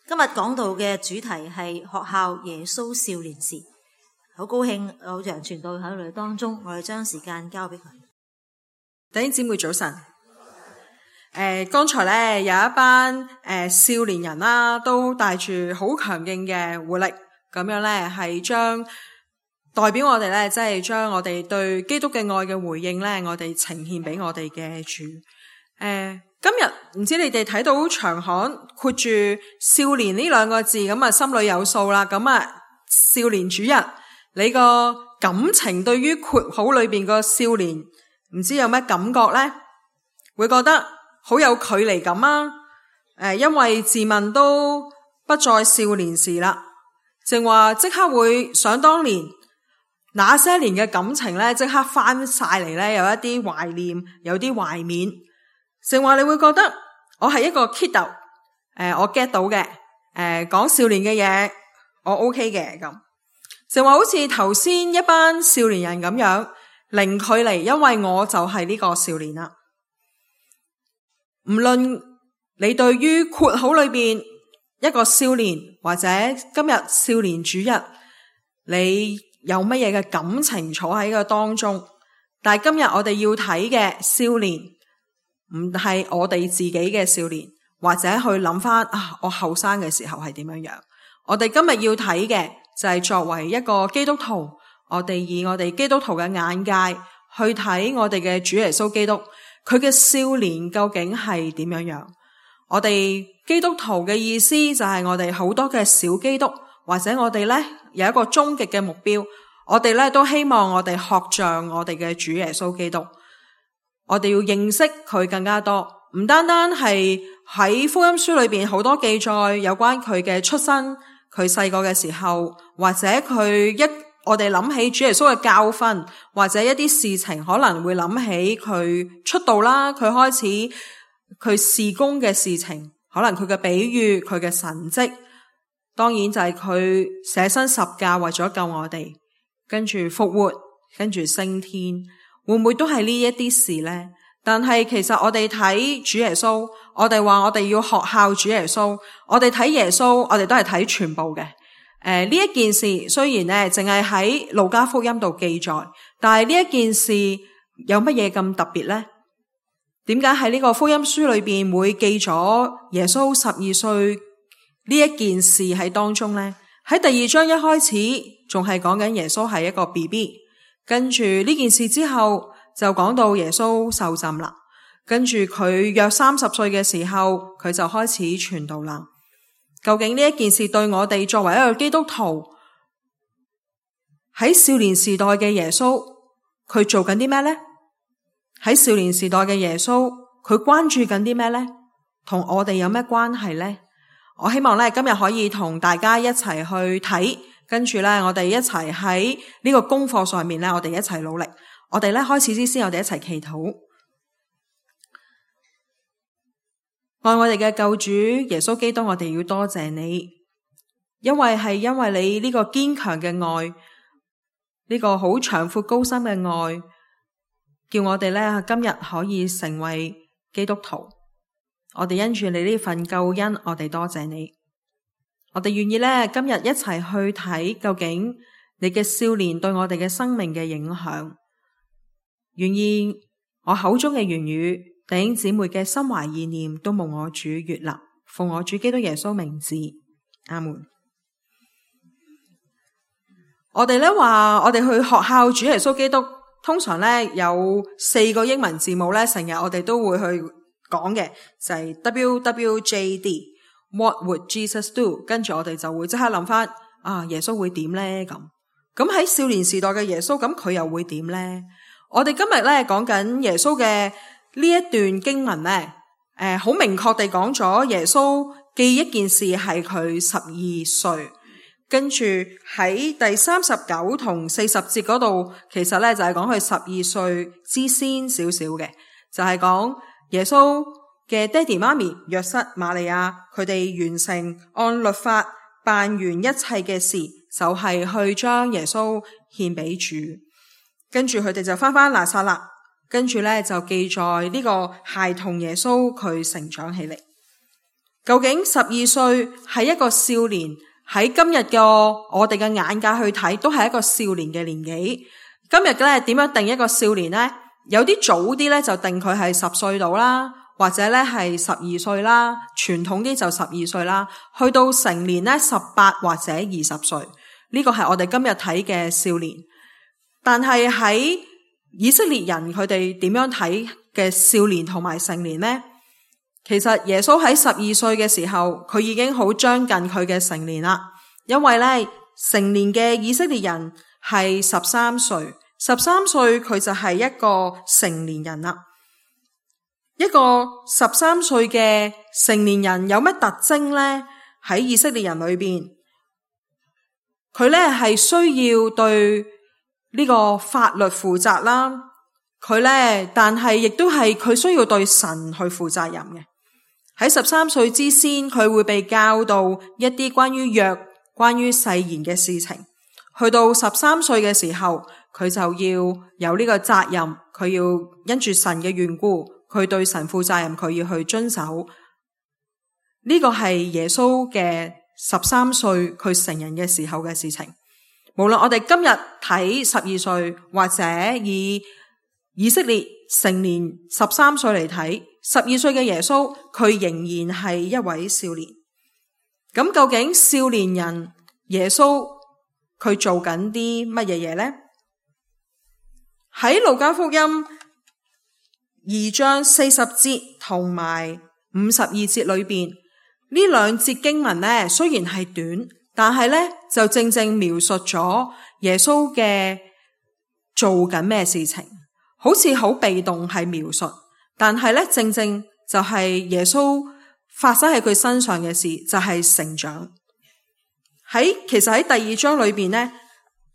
今日講到嘅主題係學校耶穌少年時，好高興有楊傳道喺我哋當中，我哋將時間交俾佢。弟兄姊妹早晨。剛才咧有一班少年人啦，都帶住好強勁嘅活力，咁樣咧係將代表我哋咧，即係將我哋對基督嘅愛嘅回應咧，我哋呈獻俾我哋嘅主。今日唔知你哋睇到長刊括住少年呢兩個字，咁啊心裏有數啦。咁啊少年主日，你個感情對於括號裏邊個少年，唔知有咩感覺呢？會覺得好有距離感啊！因為自問都不再少年時啦，正話即刻會想當年那些年嘅感情咧，即刻翻晒嚟咧，有一啲懷念，有啲懷緬。正話你會覺得我係一個 kiddo，我 get 到嘅，講少年嘅嘢我 OK 嘅咁。正話好似頭先一班少年人咁樣零距離，因為我就係呢個少年啦。唔論你對於括號裏邊一個少年，或者今日少年主日，你有乜嘢嘅感情坐喺個當中，但係今日我哋要睇嘅少年，唔係我哋自己嘅少年，或者去諗翻我後生嘅時候係點樣樣。我哋今日要睇嘅就係作為一個基督徒，我哋以我哋基督徒嘅眼界去睇我哋嘅主耶穌基督，佢嘅少年究竟係點樣樣。我哋基督徒嘅意思就係我哋好多嘅小基督，或者我哋咧有一個終極嘅目標，我哋咧都希望我哋學像我哋嘅主耶穌基督。我哋要認識佢更加多，唔單單係喺福音書裏邊好多記載有關佢嘅出生，佢細個嘅時候，或者我哋諗起主耶穌嘅教訓，或者一啲事情可能會諗起佢出道啦，佢開始佢事工嘅事情，可能佢嘅比喻，佢嘅神蹟，當然就係佢捨身十架為咗救我哋，跟住復活，跟住升天。會唔會都係呢一啲事呢？但係其實我哋睇主耶穌，我哋話我哋要學效主耶穌，我哋睇耶穌，我哋都係睇全部嘅。呢一件事雖然呢淨係喺路加福音度記載，但係呢一件事有乜嘢咁特別呢？點解喺呢個福音書裏邊會記咗耶穌12歲呢一件事喺當中呢？喺第2章一開始仲係講緊耶穌係一個 BB。跟住呢件事之後就講到耶穌受浸啦，跟住佢約30歲嘅時候佢就開始傳道啦。究竟呢一件事對我哋作為一個基督徒喺少年時代嘅耶穌佢做緊啲咩呢？喺少年時代嘅耶穌佢關注緊啲咩呢？同我哋有咩關係呢？我希望咧今日可以同大家一齊去睇，跟住咧我哋一齊喺呢個功課上面咧我哋一齊努力。我哋咧開始之先我哋一齊祈禱。愛我哋嘅救主耶穌基督，我哋要多謝你，因為你呢個堅強嘅愛，呢個好長闊高深嘅愛，叫我哋咧今日可以成為基督徒。我哋因住你呢份救恩，我哋多謝你。我哋願意咧今日一齊去睇究竟你嘅少年對我哋嘅生命嘅影響。願意我口中嘅言語，弟兄姊妹嘅心懷意念都蒙我主悅納，奉我主基督耶穌名字，阿門。我哋咧話我哋去學效主耶穌基督，通常咧有4個英文字母咧，成日我哋都會去講嘅，就係 WWJD。What would Jesus do？ 跟住我哋就會即刻諗翻耶穌會點呢？咁喺少年時代嘅耶穌，咁佢又會點呢？我哋今日咧講緊耶穌嘅呢一段經文咧，好明確地講咗耶穌記一件事係佢12歲，跟住喺第39同40節嗰度，其實咧就係講佢12歲之先少少嘅，就係講耶穌嘅爹哋媽咪約瑟瑪利亞，佢哋完成按律法辦完一切嘅事，就係去將耶穌獻俾主。跟住佢哋就翻拿撒勒，跟住咧就記載呢個孩童耶穌佢成長起嚟。究竟12歲係一個少年，喺今日嘅我哋嘅眼界去睇，都係一個少年嘅年紀。今日咧點樣定一個少年呢？有啲早啲咧就定佢係10歲度啦，或者咧係12歲啦，傳統啲就12歲啦，去到成年咧18或者20歲，呢個係我哋今日睇嘅少年。但係喺以色列人佢哋點樣睇嘅少年同埋成年呢？其實耶穌喺12歲嘅時候，佢已經好將近佢嘅成年啦。因為咧成年嘅以色列人係13歲，13歲佢就係一個成年人啦。一個13歲嘅成年人有乜特徵呢？喺以色列人裏邊，佢咧係需要對呢個法律負責啦。佢咧，但係亦都係佢需要對神去負責任嘅。喺13歲之先，佢會被教導一啲關於約、關於誓言嘅事情。去到13歲嘅時候，佢就要有呢個責任，佢要因住神嘅緣故，佢對神負責任，佢要去遵守。呢個係耶穌嘅13歲佢成人嘅時候嘅事情。無論我哋今日睇12歲，或者以色列成年13歲嚟睇，12歲嘅耶穌，佢仍然係一位少年。咁究竟少年人耶穌佢做緊啲乜嘢嘢呢？喺路加福音2章40節同埋52節裏邊，呢兩節經文呢，雖然係短，但係呢就正正描述咗耶穌嘅做緊咩事情，好似好被動係描述，但係呢正正就係耶穌發生喺佢身上嘅事，就係成長。其實喺第2章裏邊呢，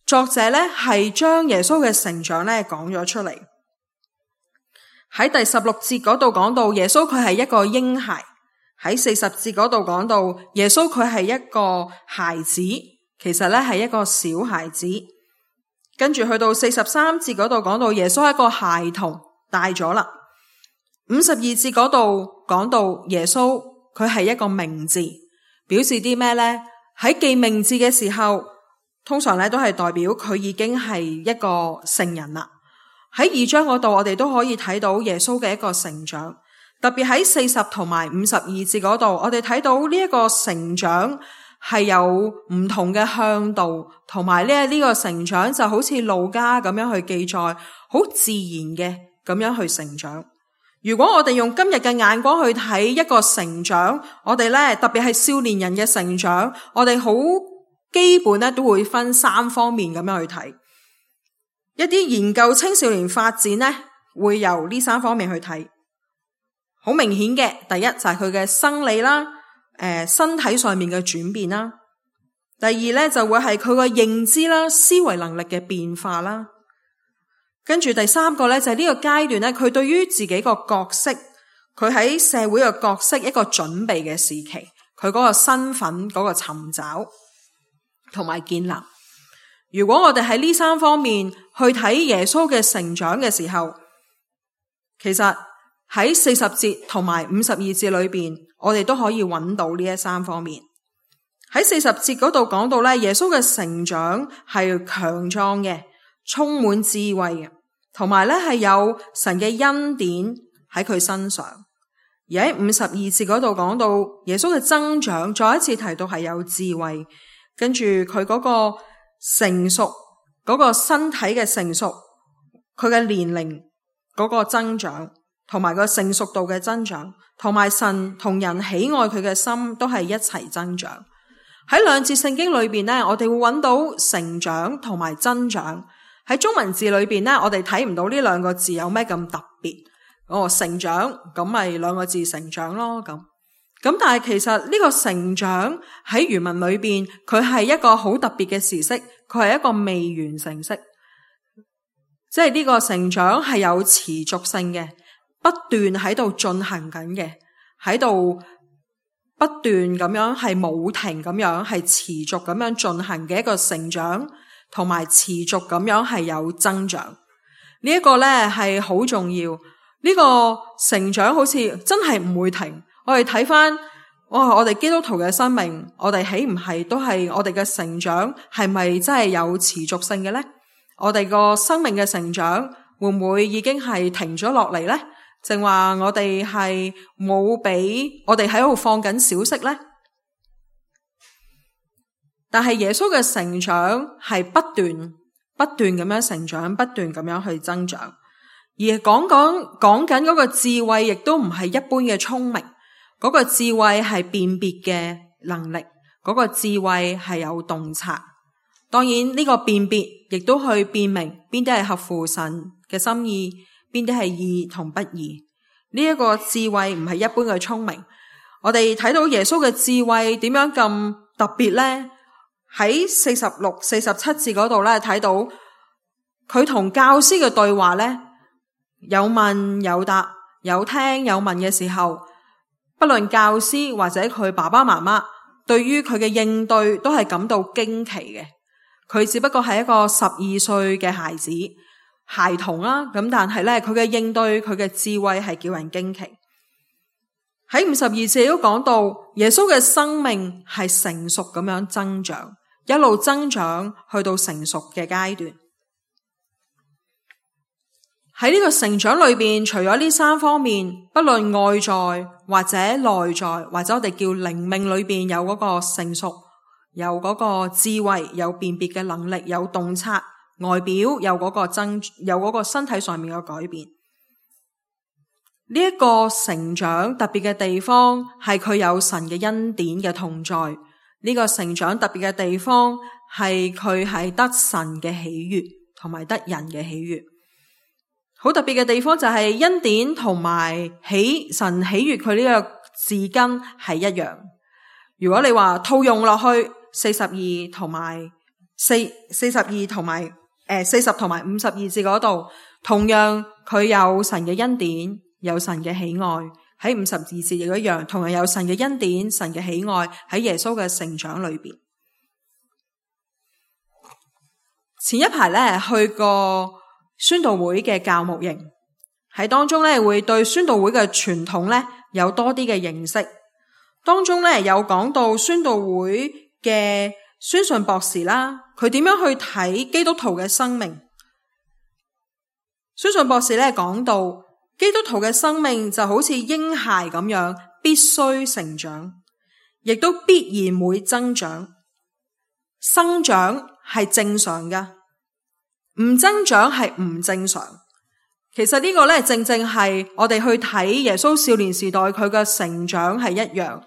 作者呢係將耶穌嘅成長呢講咗出嚟。喺第16節嗰度講到耶穌佢係一個嬰孩，喺40節嗰度講到耶穌佢係一個孩子，其實呢係一個小孩子。跟住去到43節嗰度講到耶穌係一個孩童，大咗啦。52節嗰度講到耶穌佢係一個名字，表示啲咩呢？喺記名字嘅時候，通常咧都係代表佢已經係一個成人啦。喺2章嗰度，我哋都可以睇到耶穌嘅一個成長，特別喺40同埋52節嗰度，我哋睇到呢一個成長係有唔同嘅向度，同埋呢個成長就好似路加咁樣去記載，好自然嘅咁樣去成長。如果我哋用今日嘅眼光去睇一個成長，我哋咧特別係少年人嘅成長，我哋好基本咧都會分3方面咁樣去睇。一啲研究青少年發展咧，會由呢3方面去睇。好明顯嘅，第一就係佢嘅生理啦，身體上面嘅轉變啦。第二咧就會係佢個認知啦、思維能力嘅變化啦。跟住第3個咧就係呢個階段咧，佢對於自己個角色，佢喺社會嘅角色一個準備嘅時期，佢嗰個身份嗰個尋找同埋建立。如果我哋喺呢3方面去睇耶穌嘅成長嘅時候，其實喺40節同埋52節裏邊，我哋都可以揾到呢3方面。喺40節嗰度講到咧，耶穌嘅成長係強壯嘅，充滿智慧嘅，同埋咧係有神嘅恩典喺佢身上。而喺52節嗰度講到耶穌嘅增長，再一次提到係有智慧，跟住佢嗰個成熟，嗰個身體嘅成熟，佢嘅年齡嗰個增長，同埋個成熟度嘅增長，同埋神同人喜愛佢嘅心都係一齊增長。喺2節聖經裏邊呢，我哋會揾到成長同埋增長。喺中文字裏邊呢，我哋睇唔到呢2個字有咩咁特別。成長咁咪2個字成長咯，咁但係其實呢個成長喺原文裏邊，佢係一個好特別嘅時式，佢係一個未完成式，即係呢個成長係有持續性嘅，不斷喺度進行緊嘅，喺度不斷咁樣係冇停咁樣係持續咁樣進行嘅一個成長，同埋持續咁樣係有增長。呢一個咧係好重要，呢個成長好似真係唔會停。我哋睇翻我哋基督徒嘅生命，我哋豈唔係都係我哋嘅成長係咪真係有持續性嘅呢？我哋個生命嘅成長會唔會已經係停咗落嚟呢？淨話我哋係冇俾我哋喺度放緊小息呢？但係耶穌嘅成長係不斷咁樣成長，不斷咁樣去增長。而講緊嗰個智慧，亦都唔係一般嘅聰明。嗰個智慧係辨別嘅能力，嗰個智慧係有洞察。當然呢個辨別亦都去辨明邊啲係合乎神嘅心意，邊啲係義同不義。呢一個智慧唔係一般嘅聰明。我哋睇到耶穌嘅智慧點樣咁特別呢？喺46、47節嗰度咧，睇到佢同教師嘅對話咧，有問有答，有聽有問嘅時候，不論教師或者佢爸爸媽媽對於佢嘅應對都係感到驚奇嘅。佢只不過係一個12歲嘅孩童啦，咁但係咧佢嘅應對，佢嘅智慧係叫人驚奇。喺52節都講到耶穌嘅生命係成熟咁樣增長，一路增長去到成熟嘅階段。喺呢個成長裏邊，除咗呢3方面，不論外在或者內在，或者我哋叫靈命裏邊有嗰個成熟，有嗰個智慧，有辨別嘅能力，有洞察，外表有嗰個身體上面嘅改變。呢一個成長特別嘅地方係佢有神嘅恩典嘅同在。呢個成長特別嘅地方係佢係得神嘅喜悅同埋得人嘅喜悅。好特別嘅地方就係恩典同埋神喜悅佢呢個字根係一樣。如果你話套用落去40同埋52字嗰度，同樣佢有神嘅恩典，有神嘅喜愛。喺52字亦一樣，同樣有神嘅恩典，神嘅喜愛喺耶穌嘅成長裏邊。前一排咧去過宣道會嘅教牧營，喺當中咧會對宣道會嘅傳統咧有多啲嘅認識。當中咧有講到宣道會嘅宣信博士啦，佢點樣去睇基督徒嘅生命。宣信博士咧講到基督徒嘅生命就好似嬰孩咁樣，必須成長，亦都必然會增長。生長係正常㗎，唔增長係唔正常。其實呢個咧正正係我哋去睇耶穌少年時代佢嘅成長係一樣。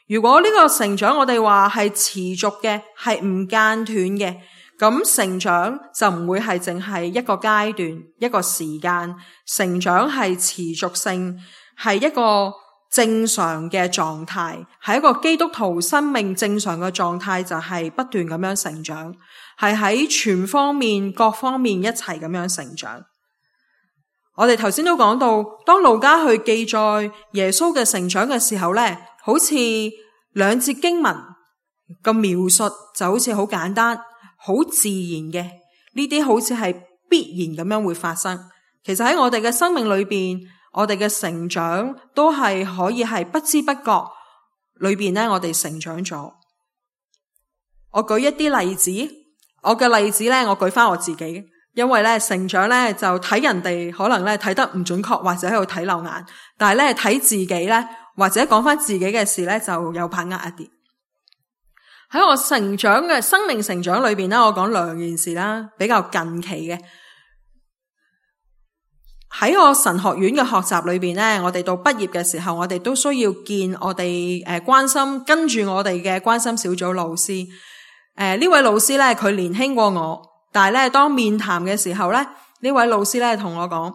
如果呢個成長我哋話係持續嘅，係唔間斷嘅，咁成長就唔會係淨係一個階段一個時間，成長係持續性，係一個正常嘅狀態，係一個基督徒生命正常嘅狀態，就係不斷咁樣成長，係喺全方面各方面一齊咁樣成長。我哋頭先都講到，當路加去記載耶穌嘅成長嘅時候咧，好似兩節經文個描述就好似好簡單好自然嘅，呢啲好似係必然咁樣會發生。其實喺我哋嘅生命裏邊，我哋嘅成長都係可以係不知不覺裏邊咧，我哋成長咗。我舉一啲例子，我嘅例子咧，我舉翻我自己，因為咧成長咧就睇人哋可能咧睇得唔準確，或者喺度睇漏眼，但係咧睇自己咧或者講翻自己嘅事咧就有把握一啲。喺我成長嘅生命成長裏邊咧，我講2件事啦，比較近期嘅。喺我神學院嘅學習裏邊咧，我哋到畢業嘅時候，我哋都需要見我哋關心跟住我哋嘅關心小組老師。呢位老師咧，佢年輕過我，但係咧當面談嘅時候咧，呢位老師咧同我講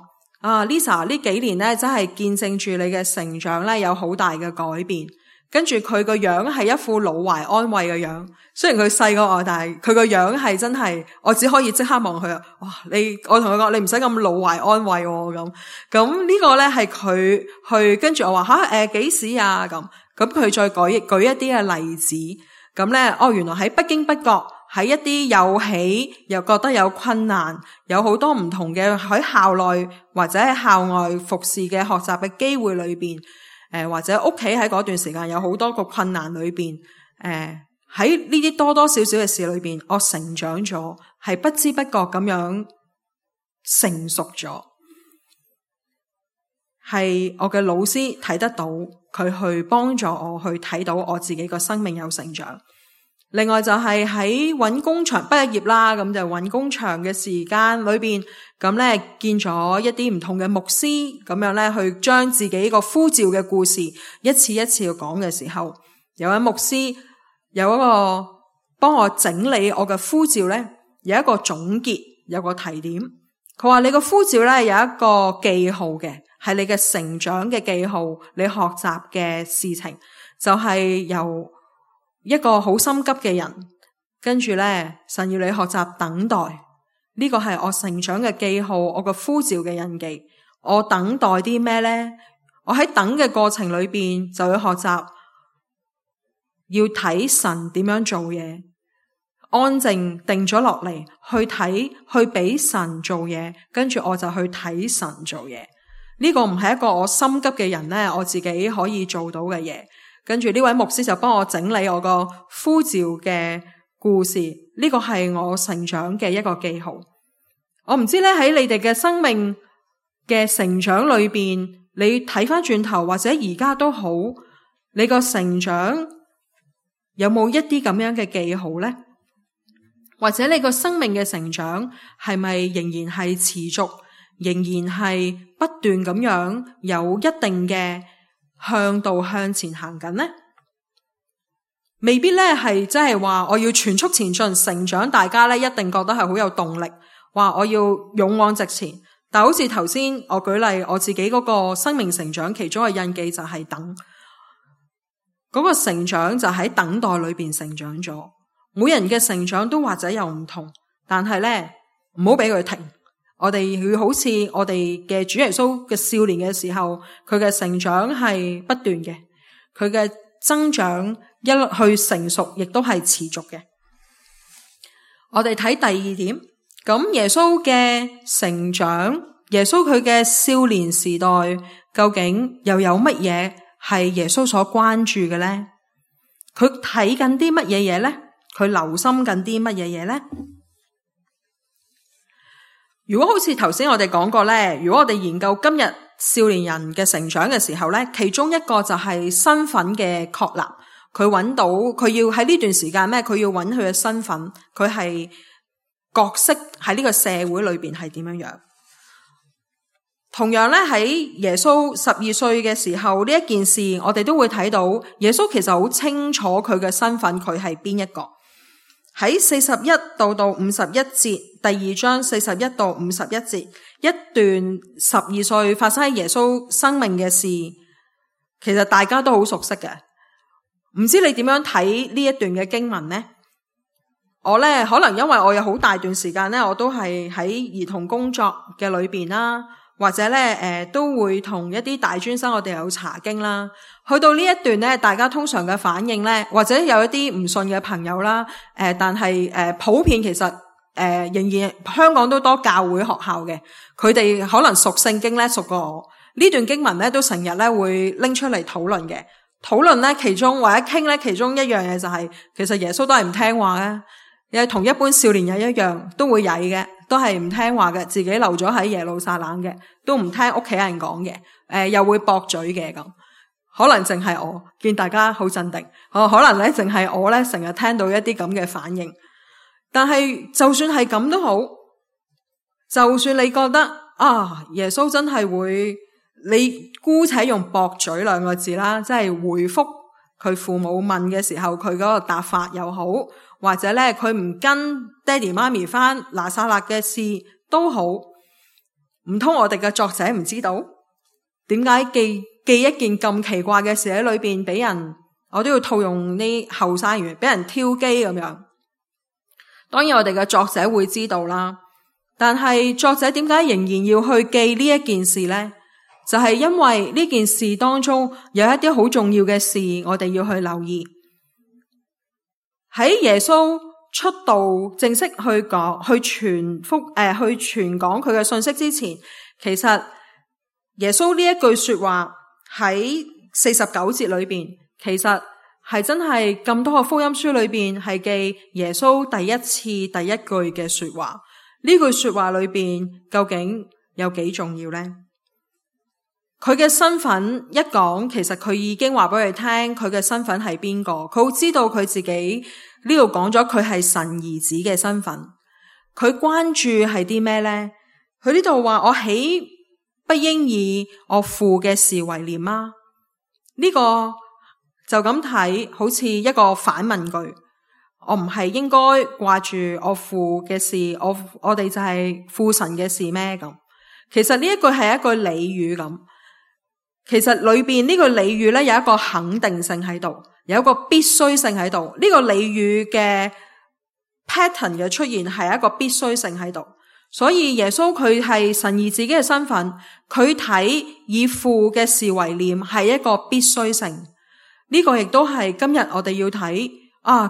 ，Lisa 呢幾年咧真係見證住你嘅成長咧有好大嘅改變。跟住佢個樣係一副老懷安慰嘅樣，雖然佢細過我，但係佢個樣係真係，我只可以即刻望佢哇！我同佢講，你唔使咁老懷安慰喎，咁呢個咧係佢去跟住我話幾時啊咁佢再舉一啲嘅例子，咁咧原來喺不經不覺喺一啲有喜又覺得有困難，有好多唔同嘅喺校內或者喺校外服侍嘅學習嘅機會裏邊。或者屋企喺嗰段時間有好多個困難裏邊，喺呢啲多多少少嘅事裏邊，我成長咗，係不知不覺咁樣成熟咗。係我嘅老師睇得到，佢去幫助我去睇到我自己個生命有成長。另外就係喺揾工場畢業啦，咁就揾工場嘅時間裏邊，咁咧見咗一啲唔同嘅牧師，咁樣咧去將自己個呼召嘅故事一次一次去講嘅時候，有位牧師有一個幫我整理我嘅呼召咧，有一個總結，有個提點。佢話你個呼召咧有一個記號嘅，係你嘅成長嘅記號，你學習嘅事情就係由一個好心急嘅人，跟住咧神要你學習等待，呢個係我成長嘅記號，我個呼召嘅印記。我等待啲咩咧？我喺等嘅過程裏邊就要學習，要睇神點樣做嘢，安靜定咗落嚟去睇，去俾神做嘢，跟住我就去睇神做嘢。呢個唔係一個我心急嘅人咧，我自己可以做到嘅嘢。跟住呢位牧師就幫我整理我個呼召嘅故事，呢個係我成長嘅一個記號。我唔知咧喺你哋嘅生命嘅成長裏邊，你睇翻轉頭或者而家都好，你個成長有冇一啲咁樣嘅記號呢？或者你個生命嘅成長係咪仍然係持續，仍然係不斷咁樣有一定嘅向度向前行緊呢？未必咧係真係話我要全速前進成長，大家咧一定覺得係好有動力，話我要勇往直前。但好似頭先我舉例我自己嗰個生命成長，其中嘅印記就係等，嗰個成長就喺等待裏邊成長咗。每人嘅成長都或者有唔同，但係咧唔好俾佢停。我哋要好似我哋嘅主耶穌嘅少年嘅時候，佢嘅成長係不斷嘅，佢嘅增長一路去成熟，亦都係持續嘅。我哋睇第二點，咁耶穌嘅成長，耶穌佢嘅少年時代，究竟又有乜嘢係耶穌所關注嘅呢？佢睇緊啲乜嘢嘢呢？佢留心緊啲乜嘢嘢呢？如果好似頭先我哋講過咧，如果我哋研究今日少年人嘅成長嘅時候咧，其中一個就係身份嘅確立。佢揾到佢要喺呢段時間咩？佢要揾佢嘅身份，佢係角色喺呢個社會裏邊係點樣樣。同樣咧喺耶穌12歲嘅時候呢一件事，我哋都會睇到耶穌其實好清楚佢嘅身份，佢係邊一個。喺41到51節，第二章41到51節，一段12歲發生喺耶穌生命嘅事，其實大家都好熟悉嘅。唔知你點樣睇呢一段嘅經文呢？我呢，可能因為我有好大段時間呢，我都係喺兒童工作嘅裏邊啦，或者呢都會同一啲大專生我哋有查經啦。去到呢一段呢，大家通常嘅反應呢，或者有一啲唔信嘅朋友啦，但係普遍其實仍然香港都多教會學校嘅，佢哋可能熟聖經呢，熟過我。呢段經文呢，都成日呢會拎出嚟討論嘅。討論呢，其中或者傾呢，其中一樣嘢就係，其實耶穌都係唔聽話嘅，又同一般少年人一樣，都會曳嘅，都係唔聽話嘅，自己留咗喺耶路撒冷嘅，都唔聽屋企人講嘅，又會駁嘴嘅咁。可能淨係我見大家好鎮定，可能咧淨係我咧成日聽到一啲咁嘅反應。但係就算係咁都好，就算你覺得耶穌真係會，你姑且用駁嘴兩個字啦，即係回覆佢父母問嘅時候佢嗰個答法又好，或者咧佢唔跟爹哋媽咪返拿撒勒嘅事都好，唔通我哋嘅作者唔知道點解記一件咁奇怪嘅事喺裏邊俾人，我都要套用啲後生語，俾人挑機咁樣。當然我哋嘅作者會知道啦，但係作者點解仍然要去記呢一件事呢？就係因為呢件事當中有一啲好重要嘅事，我哋要去留意。喺耶穌出道正式去講去傳講佢嘅信息之前，其實耶穌呢一句說話喺49節裏邊，其實係真係咁多個福音書裏邊係記耶穌第一次第一句嘅說話。呢句說話裏邊究竟有幾重要呢？佢嘅身份一講，其實佢已經話俾佢聽佢嘅身份係邊個。佢好知道佢自己呢度講咗佢係神兒子嘅身份。佢關注係啲咩呢？佢呢度話我豈不應以我父嘅事為念嗎？呢個就咁睇，好似一個反問句。我唔係應該掛住我父嘅事，我哋就係父神嘅事咩？咁其實呢一句係一句俚語咁。其實裏邊呢個俚語咧有一個肯定性喺度，有一個必須性喺度。呢個俚語嘅 pattern 嘅出現係一個必須性喺度。所以耶穌佢係神兒子嘅身份，佢睇以父嘅事為念係一個必須性。呢個亦都係今日我哋要睇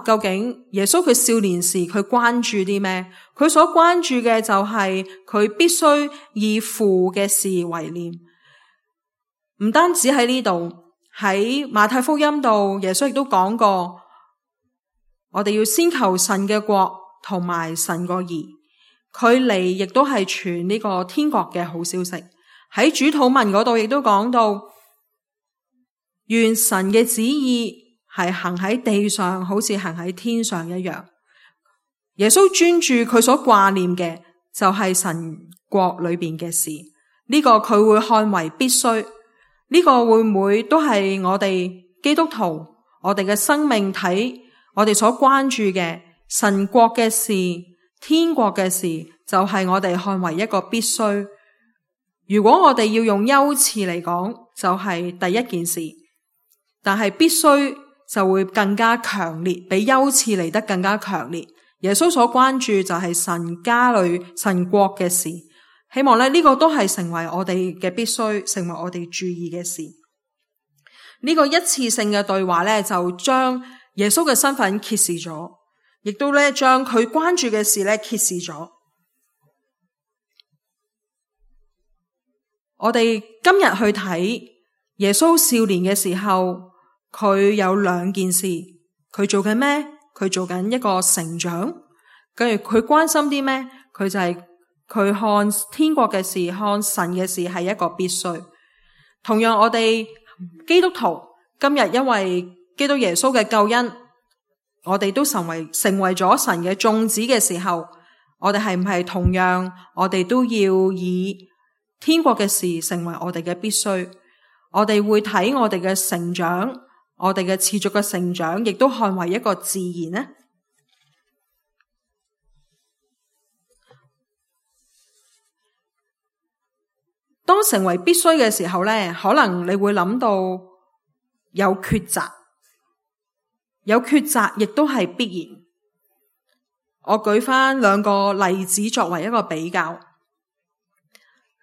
究竟耶穌佢少年時佢關注啲咩？佢所關注嘅就係佢必須以父嘅事為念。唔單止喺呢度，喺馬太福音度，耶穌亦都講過，我哋要先求神嘅國同埋神個義。佢嚟亦都係傳呢個天國嘅好消息。喺主禱文嗰度亦都講到，願神嘅旨意係行喺地上，好似行喺天上一樣。耶穌專注佢所掛念嘅就係神國裏邊嘅事，呢個佢會看為必須。呢個會唔會都係我哋基督徒，我哋嘅生命體，我哋所關注嘅神國嘅事、天國嘅事，就係我哋看為一個必須。如果我哋要用優次嚟講，就係第一件事，但係必須就會更加強烈，比優次嚟得更加強烈。耶穌所關注就係神家裏神國嘅事。希望呢個都係成為我哋嘅必須，成為我哋注意嘅事。呢個一次性嘅對話呢，就將耶穌嘅身份揭示咗，亦都呢將佢關注嘅事呢揭示咗。我哋今日去睇耶穌少年嘅時候，佢有兩件事，佢做緊咩？佢做緊一個成長，跟住佢關心啲咩？佢就係佢看天國嘅事，看神嘅事係一個必須。同樣我哋基督徒今日因為基督耶穌嘅救恩，我哋都成為咗神嘅眾子嘅時候，我哋係唔係同樣我哋都要以天國嘅事成為我哋嘅必須？我哋會睇我哋嘅成長，我哋嘅持續嘅成長，亦都看為一個自然呢？當成為必須嘅時候呢，可能你會諗到有抉擇，有抉擇亦都係必然。我舉翻兩個例子作為一個比較，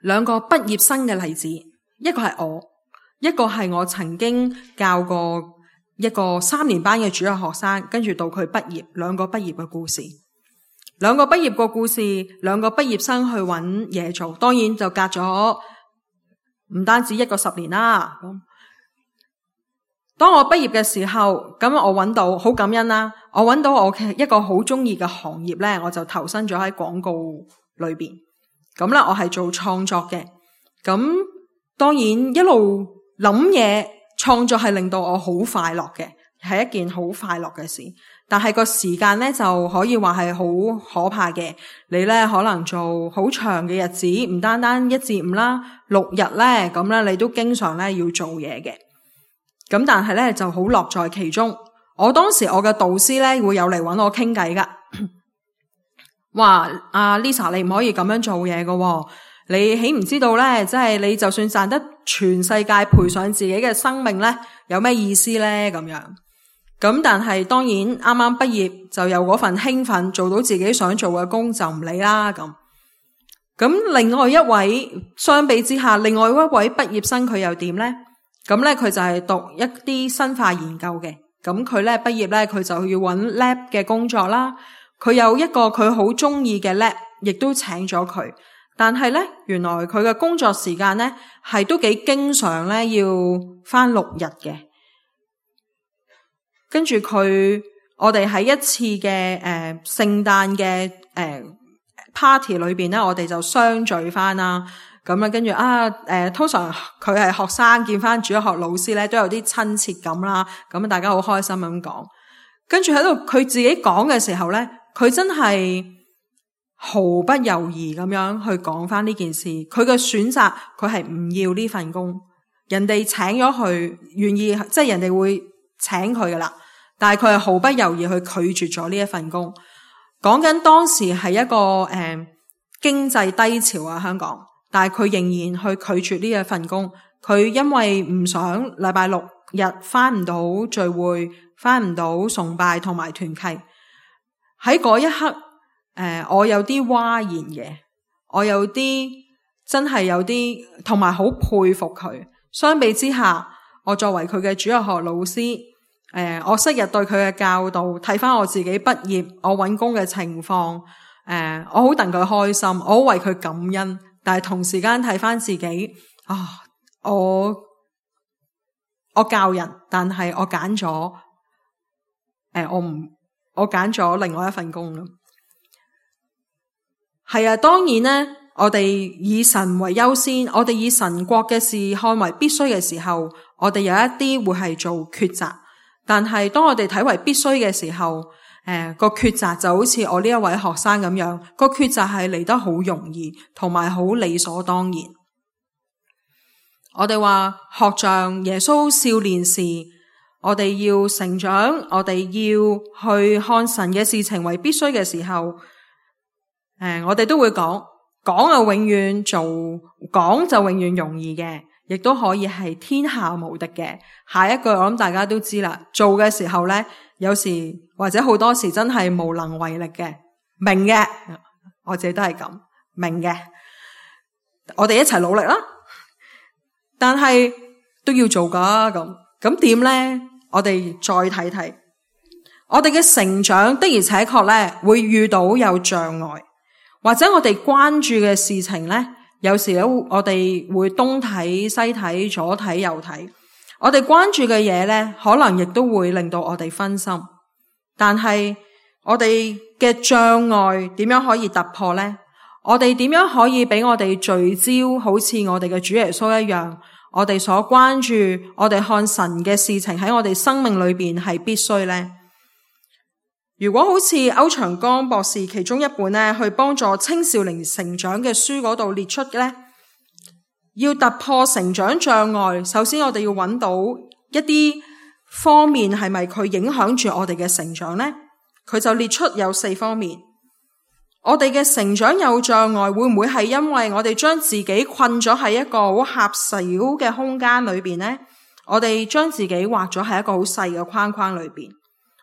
兩個畢業生嘅例子，一個係我，一個係我曾經教過一個3年班嘅主日學生，跟住到佢畢業，兩個畢業嘅故事。兩個畢業嘅故事，兩個畢業生去揾嘢做，當然就隔咗唔單止一個10年啦。當我畢業嘅時候，咁我揾到好感恩啦，我揾到我嘅一個好中意嘅行業呢，我就投身咗喺廣告裏邊。咁咧，我係做創作嘅。咁當然一路諗嘢，創作係令到我好快樂嘅，係一件好快樂嘅事。但係個時間呢，就可以話係好可怕嘅。你呢，可能做好長嘅日子，唔單單1至5啦，6日呢，咁呢，你都經常呢要做嘢嘅。咁但係呢，就好樂在其中。我當時我嘅導師呢，會有嚟揾我傾偈噶，話阿 Lisa 你唔可以咁樣做嘢噶喎，你豈唔知道呢？即係你就算賺得全世界賠上自己嘅生命呢，有咩意思呢？咁樣。咁但係當然啱啱畢業就有嗰份興奮，做到自己想做嘅工就唔理啦咁。咁另外一位相比之下，另外一位畢業生佢又點呢？咁咧佢就係讀一啲生化研究嘅。咁佢咧畢業咧佢就要揾 lab 嘅工作啦。佢有一個佢好中意嘅 lab， 亦都請咗佢。但係咧，原來佢嘅工作時間咧係都幾經常咧要返6日嘅。跟住我哋喺一次嘅聖誕嘅party 裏邊咧，我哋就相聚返啦。咁啊，跟住通常佢係學生見返主日學老師咧，都有啲親切感啦。咁大家好開心咁講。跟住喺度佢自己講嘅時候咧，佢真係毫不猶豫咁樣去講返呢件事。佢嘅選擇，佢係唔要呢份工。人哋請咗佢，願意即係人哋會請佢噶啦，但係佢係毫不猶豫去拒絕咗呢一份工。講緊當時係一個經濟低潮啊，香港，但係佢仍然去拒絕呢一份工。佢因為唔想禮拜6日返唔到聚會，返唔到崇拜同埋團契。喺嗰一刻，我有啲嘩然嘅，我有啲真係有啲，同埋好佩服佢。相比之下，我作為佢嘅主日學老師，我昔日對佢嘅教導，睇返我自己畢業，我搵工嘅情況，我好戥佢開心，我好為佢感恩。但係同時間睇返自己，我教人，但係我揀咗，我揀咗另外一份工咯。係啊，當然呢，我哋以神為優先，我哋以神國嘅事看為必須嘅時候，我哋有一啲會係做抉擇。但係當我哋睇為必須嘅時候，個抉擇就好似我呢一位學生咁樣，個抉擇係嚟得好容易，同埋好理所當然。我哋話學像耶穌少年時，我哋要成長，我哋要去看神嘅事情為必須嘅時候，我哋都會講永遠做，講就永遠容易嘅，亦都可以係天下無敵嘅。下一句我諗大家都知啦，做嘅時候咧，有時或者好多時真係無能為力嘅，明嘅，我自己都係咁明嘅，我哋一齊努力啦。但係都要做噶，咁點咧？我哋再睇睇，我哋嘅成長的而且確咧會遇到有障礙，或者我哋關注嘅事情咧，有時咧我哋會東睇西睇，左睇右睇。我哋關注嘅嘢咧，可能亦都會令到我哋分心。但係我哋嘅障礙點樣可以突破咧？我哋點樣可以俾我哋聚焦，好似我哋嘅主耶穌一樣，我哋所關注，我哋看神嘅事情喺我哋生命裏邊係必須咧？如果好似歐長江博士其中一本咧，去幫助青少年成長嘅書嗰度列出嘅咧，要突破成長障礙，首先我哋要揾到一啲方面係咪佢影響住我哋嘅成長咧？佢就列出有4方面。我哋嘅成長有障礙，會唔會係因為我哋將自己困咗喺一個好狹小嘅空間裏邊呢？我哋將自己畫咗喺一個好細嘅框框裏邊，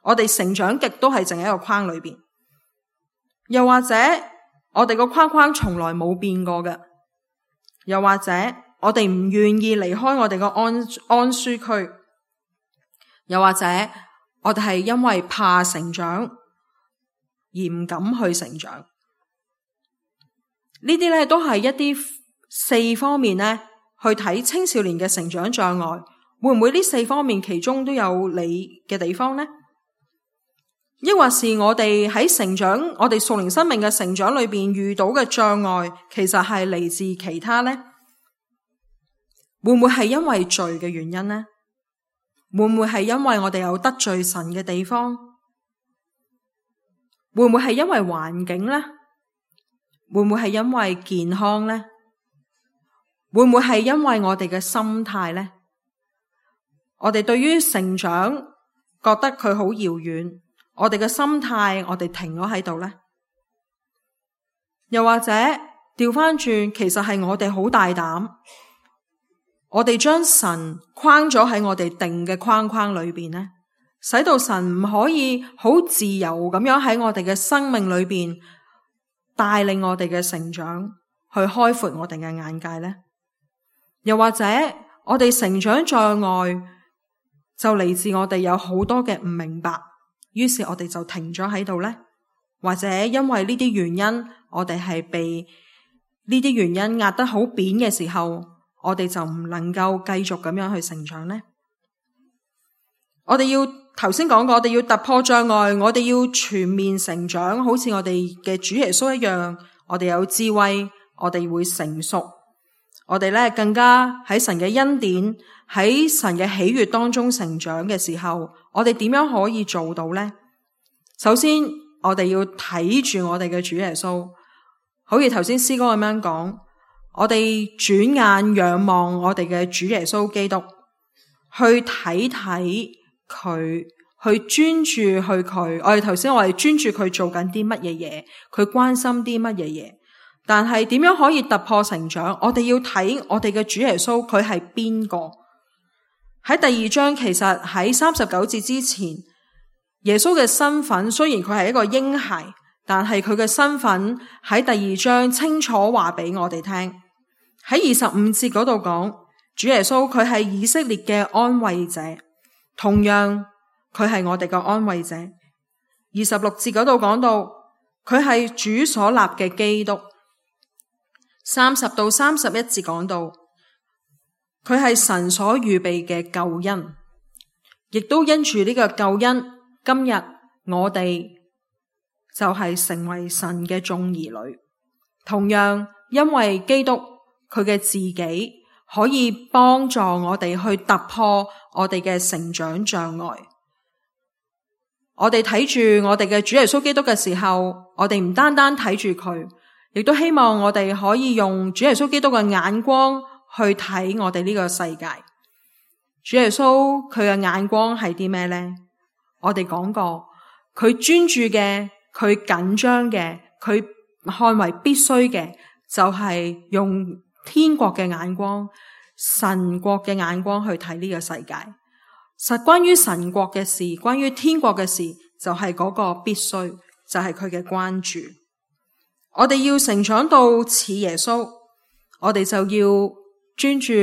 我哋成長極都係淨喺一個框裏邊。又或者我哋個框框從來冇變過嘅，又或者我哋唔願意離開我哋個安舒區，又或者我哋係因為怕成長而唔敢去成長。呢啲咧都係一啲4方面咧去睇青少年嘅成長障礙，會唔會呢4方面其中都有你嘅地方呢？抑或是我哋喺成長，我哋屬靈生命嘅成長裏邊遇到嘅障礙，其實係嚟自其他呢？會唔會係因為罪嘅原因呢？會唔會係因為我哋有得罪神嘅地方？會唔會係因為環境呢？會唔會係因為健康呢？會唔會係因為我哋嘅心態呢？我哋對於成長覺得佢好遙遠，我哋嘅心態我哋停咗喺度呢？又或者調返轉，其實係我哋好大膽，我哋將神框咗喺我哋定嘅框框裏邊呢，使到神唔可以好自由咁樣喺我哋嘅生命裏邊帶領我哋嘅成長，去開闊我哋嘅眼界呢？又或者我哋成長障礙就嚟自我哋有好多嘅唔明白，於是我哋就停咗喺度呢？或者因為呢啲原因，我哋係被呢啲原因壓得好扁嘅時候，我哋就唔能夠繼續咁樣去成長呢？我哋要頭先講過，我哋要突破障礙，我哋要全面成長，好似我哋嘅主耶穌一樣，我哋有智慧，我哋會成熟，我哋咧更加喺神嘅恩典，喺神嘅喜悅當中成長嘅時候，我哋點樣可以做到呢？首先，我哋要睇住我哋嘅主耶穌，好似頭先詩歌咁樣講，我哋轉眼仰望我哋嘅主耶穌基督，去睇睇佢，去專注去佢。我哋頭先我哋專注佢做緊啲乜嘢嘢，佢關心啲乜嘢嘢。但係點樣可以突破成長？我哋要睇我哋嘅主耶穌，佢係邊個？喺第二章，其實喺39節之前，耶穌嘅身份雖然佢係一個嬰孩，但係佢嘅身份喺第二章清楚話俾我哋聽。喺25節嗰度講，主耶穌佢係以色列嘅安慰者，同樣佢係我哋嘅安慰者。26節嗰度講到，佢係主所立嘅基督。30到31節講到，佢係神所預備嘅救恩，亦都因住呢個救恩，今日我哋就係成為神嘅眾兒女。同樣因為基督佢嘅自己可以幫助我哋去突破我哋嘅成長障礙。我哋睇住我哋嘅主耶穌基督嘅時候，我哋唔單單睇住佢，亦都希望我哋可以用主耶穌基督嘅眼光去睇我哋呢個世界。主耶穌佢嘅眼光係啲咩呢？我哋講過，佢專注嘅，佢緊張嘅，佢看為必須嘅，就係用天國嘅眼光、神國嘅眼光去睇呢個世界。實關於神國嘅事，關於天國嘅事，就係嗰個必須，就係佢嘅關注。我哋要成長到似耶穌，我哋就要專注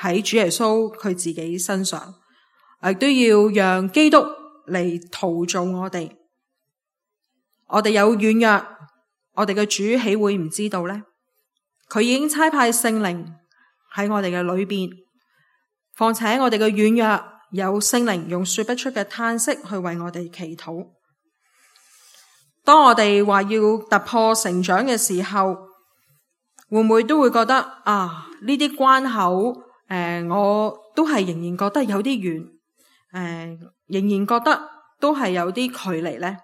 喺主耶穌佢自己身上，亦都要讓基督嚟陶造我哋。我哋有軟弱，我哋嘅主豈會唔知道呢？佢已經差派聖靈喺我哋嘅裏邊，況且我哋嘅軟弱有聖靈用說不出嘅嘆息去為我哋祈禱。當我哋話要突破成長嘅時候，會唔會都會覺得呢啲關口我都係仍然覺得有啲遠，仍然覺得都係有啲距離呢？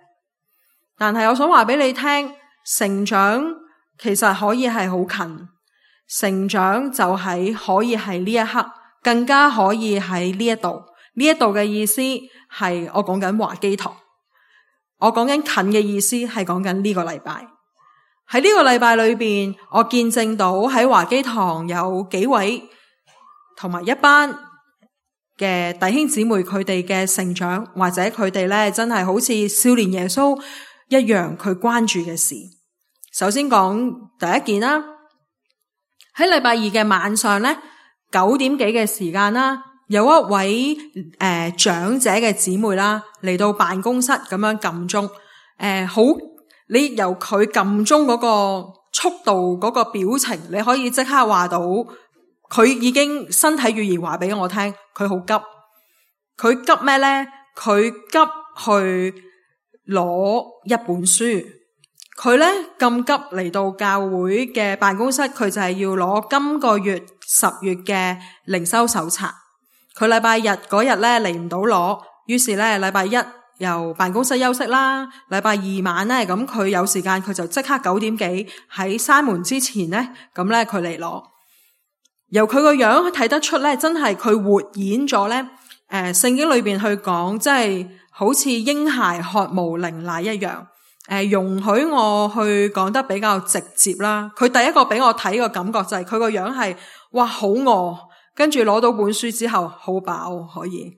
但係我想話俾你聽，成長其實可以係好近，成長就係可以係呢一刻，更加可以喺呢一度。呢一度嘅意思係我講緊華基堂，我講緊近嘅意思係講緊呢個禮拜。喺呢個禮拜裏邊，我見證到喺華基堂有幾位同埋一班嘅弟兄姊妹，佢哋嘅成長，或者佢哋咧真係好似少年耶穌一樣，佢關注嘅事。首先講第一件啦，喺禮拜二嘅晚上咧，9點幾嘅時間啦，有一位長者嘅姊妹啦嚟到辦公室咁樣撳鐘，你由佢撳鐘嗰個速度嗰個表情，你可以即刻話到佢已經身體語言話俾我聽，佢好急。佢急咩呢？佢急去攞一本書。佢呢咁急嚟到教會嘅辦公室，佢就係要攞今個月10月嘅靈修手冊。佢禮拜日嗰日呢嚟唔到攞，於是呢禮拜一由辦公室休息啦。禮拜二晚呢，咁佢有時間，佢就即刻9點幾喺閂門之前呢，咁呢佢嚟攞。由佢個樣睇得出呢，真係佢活演咗呢聖經裏邊去講，即係好似嬰孩渴慕靈奶一樣。容許我去講得比較直接啦。佢第一個俾我睇個感覺就係佢個樣係哇好餓，跟住攞到本書之後好飽，可以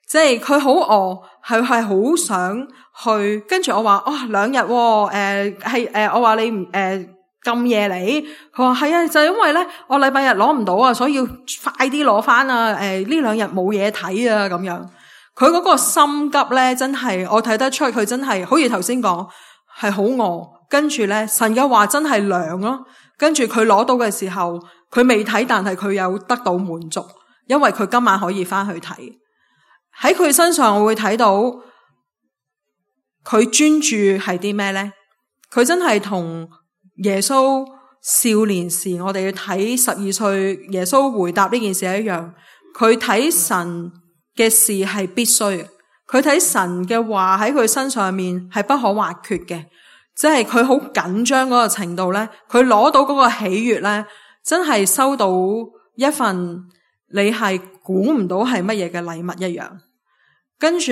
即係佢好餓，係好想去。跟住我話2日我話你咁夜嚟，佢話係啊，就因為咧我禮拜日攞唔到啊，所以要快啲攞翻啊。呢2日冇嘢睇啊，咁樣。佢嗰個心急咧，真係我睇得出佢真係好似頭先講係好餓，跟住咧神嘅話真係涼咯。跟住佢攞到嘅時候，佢未睇，但係佢有得到滿足，因為佢今晚可以翻去睇。喺佢身上我會睇到佢專注係啲咩呢？佢真係同耶穌少年時我哋要睇12歲耶穌回答呢件事一樣，佢睇神嘅事係必須，佢睇神嘅話喺佢身上面係不可或缺嘅，即係佢好緊張嗰個程度呢，佢攞到嗰個喜悅呢，真係收到一份你係估唔到係乜嘢嘅禮物一樣。跟住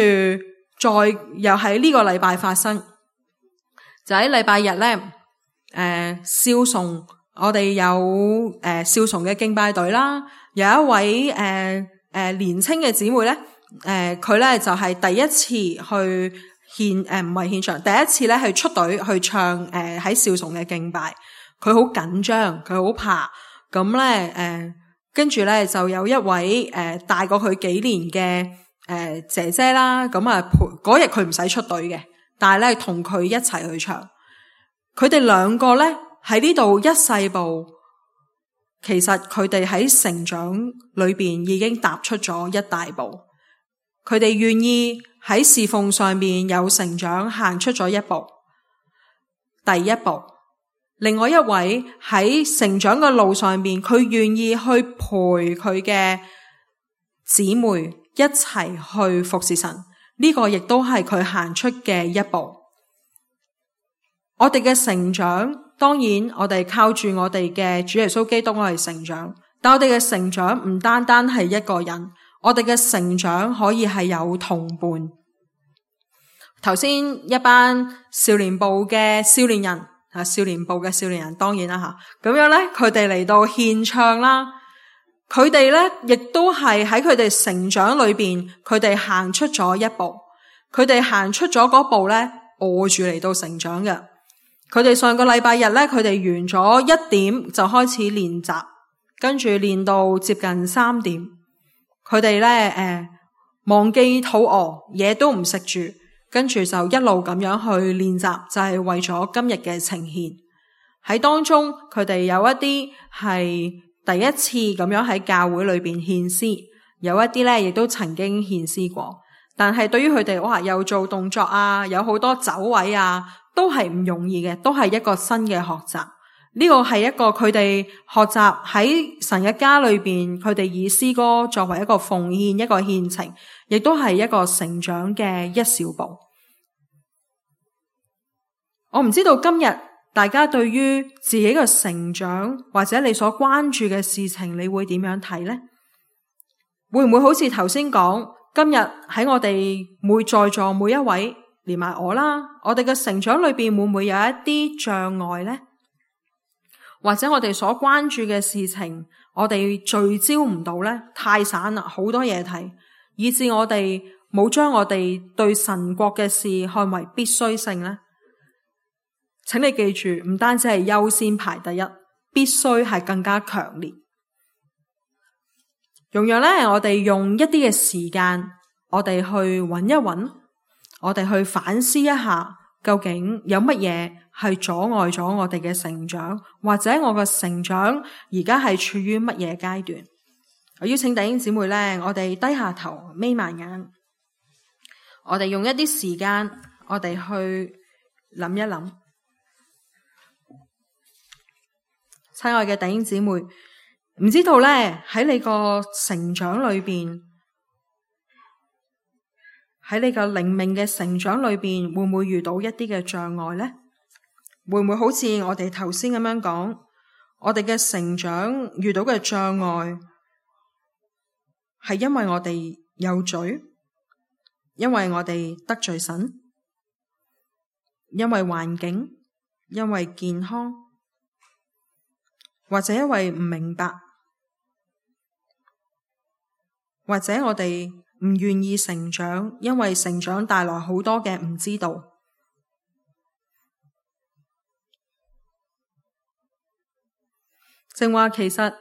再又喺呢個禮拜發生，就喺禮拜日呢，少崇我哋有少崇嘅敬拜隊啦，有一位年青嘅姊妹呢，佢呢就係第一次去唔係獻唱，第一次呢係出隊去唱喺少崇嘅敬拜，佢好緊張，佢好怕，咁呢跟住呢就有一位大過佢幾年嘅姐姐啦，咁啊嗰日佢唔使出隊嘅，但係咧同佢一齊去唱。佢哋兩個咧喺呢度一細步，其實佢哋喺成長裏邊已經踏出咗一大步。佢哋願意喺侍奉上面有成長，行出咗一步，第一步。另外一位喺成長嘅路上面，佢願意去陪佢嘅姊妹一齊去服侍神，呢個亦都係佢行出嘅一步。我哋嘅成長，當然我哋靠住我哋嘅主耶穌基督我哋成長，但我哋嘅成長唔單單係一個人，我哋嘅成長可以係有同伴。頭先一班少年部嘅少年人，少年部嘅少年人當然啦吓，咁樣咧佢哋嚟到獻唱啦。佢哋咧，亦都係喺佢哋成長裏邊，佢哋行出咗一步。佢哋行出咗嗰步咧，餓住嚟到成長嘅。佢哋上個禮拜日咧，佢哋完咗1點就開始練習，跟住練到接近3點。佢哋咧忘記肚餓，嘢都唔食住，跟住就一路咁樣去練習，就係為咗今日嘅呈獻。喺當中，佢哋有一啲係第一次咁樣喺教會裏邊獻詩，有一啲咧亦都曾經獻詩過，但係對於佢哋哇又做動作啊，有好多走位啊，都係唔容易嘅，都係一個新嘅學習。呢個係一個佢哋學習喺神嘅家裏邊，佢哋以詩歌作為一個奉獻，一個獻情，亦都係一個成長嘅一小步。我唔知道今日大家對於自己嘅成長或者你所關注嘅事情，你會點樣睇呢？會唔會好似頭先講，今日喺我哋在座每一位，連埋我啦，我哋嘅成長裏邊會唔會有一啲障礙呢？或者我哋所關注嘅事情，我哋聚焦唔到呢？太散啦，好多嘢睇，以致我哋冇將我哋對神國嘅事看為必須性呢？請你記住，唔單止係優先排第一，必須係更加強烈。容讓咧，我哋用一啲嘅時間，我哋去揾一揾，我哋去反思一下，究竟有乜嘢係阻礙咗我哋嘅成長，或者我嘅成長而家係處於乜嘢階段？我邀請弟兄姊妹咧，我哋低下頭，眯埋眼，我哋用一啲時間，我哋去諗一諗。親愛嘅弟兄姊妹，唔知道咧，喺你個成長裏邊，喺你個靈命嘅成長裏邊，會唔會遇到一啲嘅障礙呢？會唔會好似我哋頭先咁樣講，我哋嘅成長遇到嘅障礙係因為我哋有罪，因為我哋得罪神，因為環境，因為健康，或者因為唔明白，或者我哋唔願意成長，因為成長帶來好多嘅唔知道。正話其實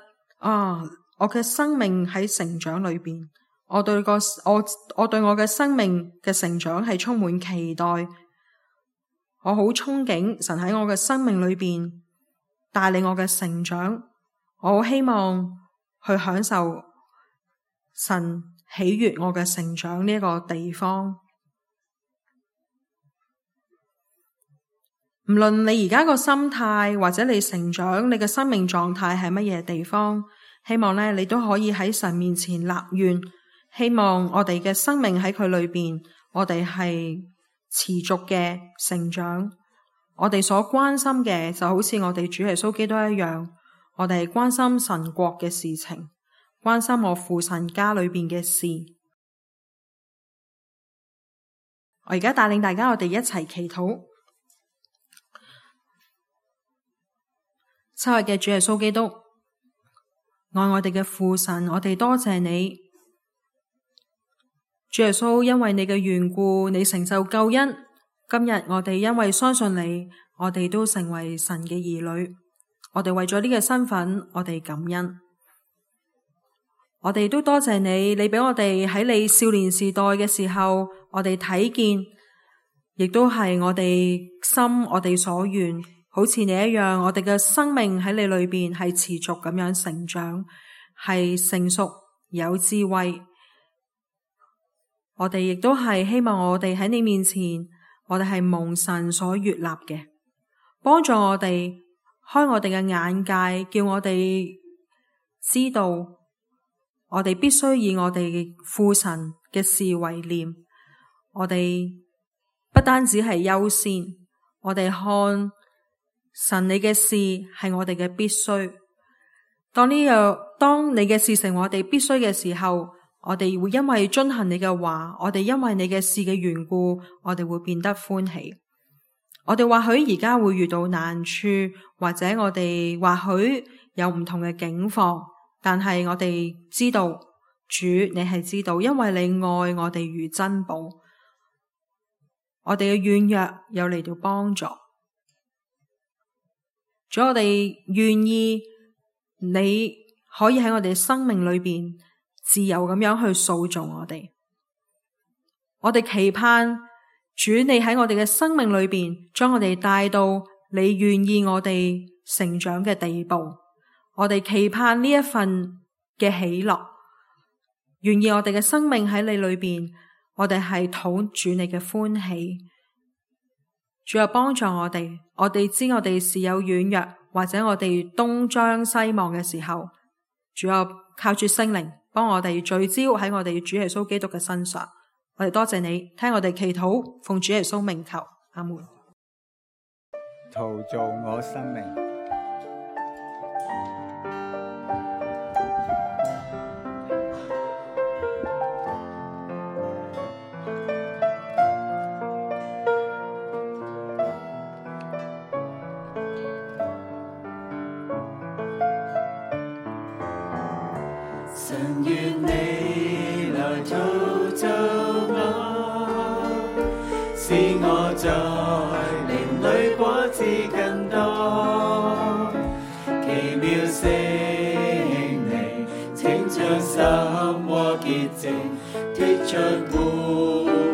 我嘅生命喺成長裏邊，我對我嘅生命嘅成長係充滿期待，我好憧憬神喺我嘅生命裏邊帶領我嘅成長。我好希望去享受神喜悅我嘅成長呢個地方。唔論你而家個心態或者你成長，你嘅生命狀態係乜嘢地方，希望呢你都可以喺神面前立願，希望我哋嘅生命喺佢裏邊，我哋係持續嘅成長。我哋所關心嘅就好似我哋主耶穌基督一樣，我哋係關心神國嘅事情，關心我父神家裏邊嘅事。我而家帶領大家，我哋一齊祈禱。親愛嘅主耶穌基督，愛我哋嘅父神，我哋多謝你。主耶穌，因為你嘅緣故，你成就救恩。今日我哋因為相信你，我哋都成為神嘅兒女。我哋為咗呢個身份，我哋感恩。我哋都多謝你，你俾我哋喺你少年時代嘅時候，我哋睇見，亦都係我哋心，我哋所願。好似你一樣，我哋嘅生命喺你裏邊係持續咁樣成長，係成熟有智慧。我哋亦都係希望我哋喺你面前，我哋係蒙神所悅納嘅，幫助我哋開我哋嘅眼界，叫我哋知道我哋必須以我哋父神嘅事為念。我哋不單止係優先，我哋看神你嘅事係我哋嘅必須。當你嘅事成我哋必須嘅時候，我哋會因為遵行你嘅話，我哋因為你嘅事嘅緣故，我哋會變得歡喜。我哋或許而家會遇到難處，或者我哋或許有唔同嘅境況，但係我哋知道主你係知道，因為你愛我哋如珍寶。我哋嘅軟弱有嚟到幫助。主，我哋願意你可以喺我哋生命裏邊自由咁樣去塑造我哋。我哋期盼主你喺我哋嘅生命裏邊將我哋帶到你願意我哋成長嘅地步。我哋期盼呢一份嘅喜樂，願意我哋嘅生命喺你裏邊，我哋係討主你嘅歡喜。主又幫助我哋，我哋知我哋是有軟弱，或者我哋東張西望嘅時候，主又靠住聖靈幫我哋聚焦喺我哋主耶穌基督嘅身上。我哋多謝你，聽我哋祈禱，奉主耶穌名求，阿門。陶造我生命。神願你來陶造我，使我在靈裡果子更多。奇妙聖靈，請將心和潔淨剔出污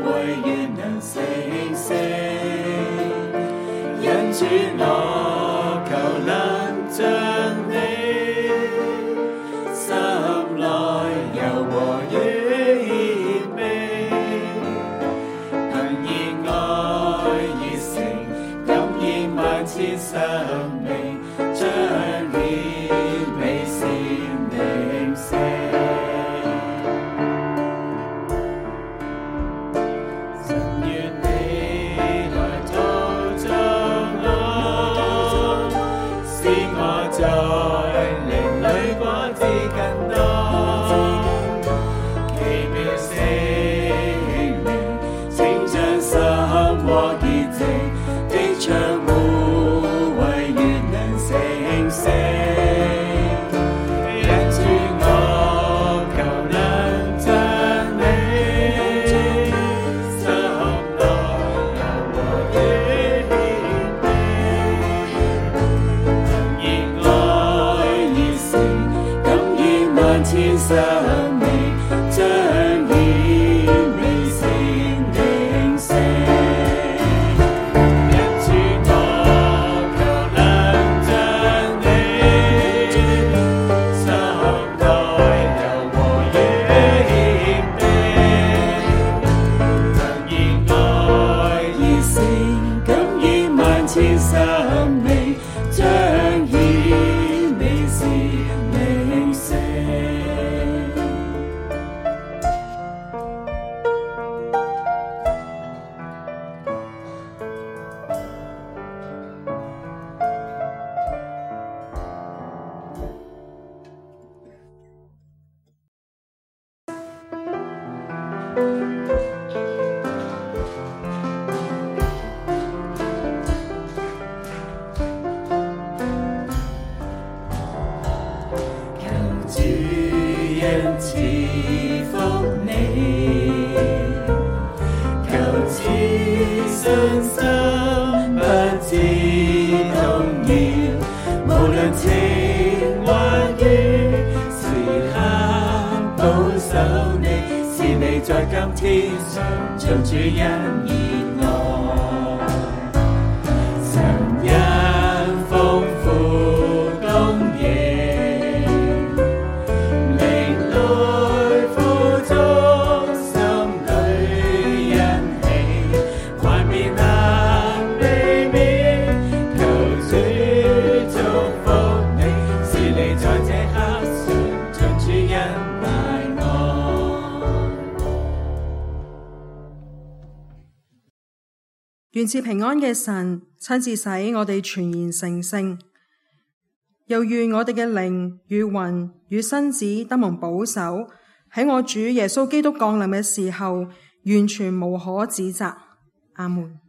穢，願能成聖。因主我求能像你。生命彰顯美善靈性，神願你來陶造我，使我在靈裡果子更多。奇妙聖靈，請將心和潔淨剔出污穢，願生命，彰顯你是永生。賜福你，求賜信心，不知動搖，無論情或怨，時刻保守你，是你在今天上像主恩熱愛，神恩豐富供應。願賜平安嘅神親自使我哋全然成聖，又願我哋嘅靈與魂與身子得蒙保守，喺我主耶穌基督降臨嘅時候完全無可指責。阿門。